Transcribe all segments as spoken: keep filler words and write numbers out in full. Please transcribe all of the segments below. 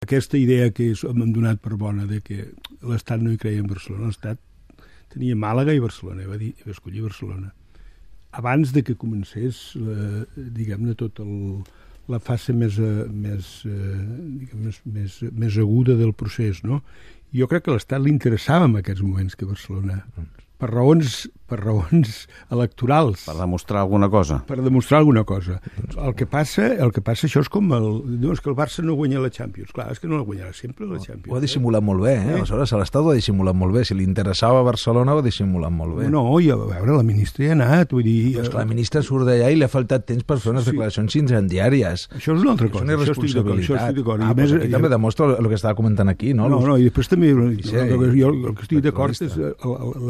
Aquesta idea que hem donat per bona de que l'Estat no hi creia en Barcelona, l'Estat tenia Màlaga i Barcelona, va dir, va escollir Barcelona. Abans de que comencés, la, diguem-ne, tot el, la fase més, més, diguem, més, més, més aguda del procés, no? Jo crec que a l'Estat li interessava en aquests moments que Barcelona, per raons, per raons electorals. Per demostrar alguna cosa. Per demostrar alguna cosa. El que passa, el que passa això és com el... Dius que el Barça no guanya la Champions. Clar, és que no la guanyarà sempre, la Champions. Ho ha dissimulat molt bé, eh? Aleshores, l'Estat ho ha dissimulat molt bé. Si li interessava Barcelona, ho ha dissimulat molt bé. No, i a veure, la ministra hi ha anat, vull dir... Però és que la ministra surt d'allà i li ha faltat temps per fer unes sí. declaracions incendiàries. Això és una altra cosa. És una irresponsabilitat. Això estic d'acord. Ah, més, aquí també demostra el que estava comentant aquí, no? No, no, i després també... Sí, jo el que estic d'acord és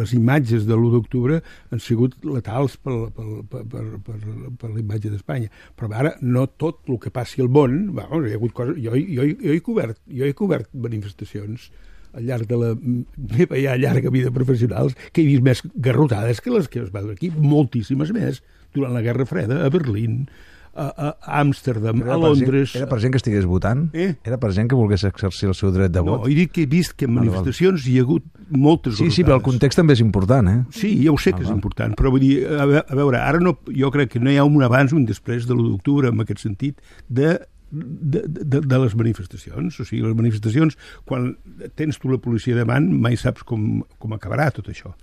les imatges de l'u d'octubre han sigut letals per, per, per, per, per, per la imatge d'Espanya. Però ara no tot el que passi al món... Bueno, hi ha hagut coses, jo, jo, jo, he cobert, jo he cobert manifestacions al llarg de la meva ja llarga vida professionals que he vist més garrotades que les que es va dur aquí, moltíssimes més, durant la Guerra Freda, a Berlín, a, a Amsterdam, a Londres... Gent, era per gent que estigués votant? Eh? Era per gent que volgués exercir el seu dret de vot? No, he dit que he vist que en manifestacions hi ha hagut moltes Sí, sí, però el context també és important, eh? Sí, ja ho sé que ah, és important, però vull dir, a veure, ara no, jo crec que no hi ha un abans o un després de l'u d'octubre, en aquest sentit, de, de, de, de les manifestacions. O sigui, les manifestacions, quan tens tu la policia davant, mai saps com, com acabarà tot això.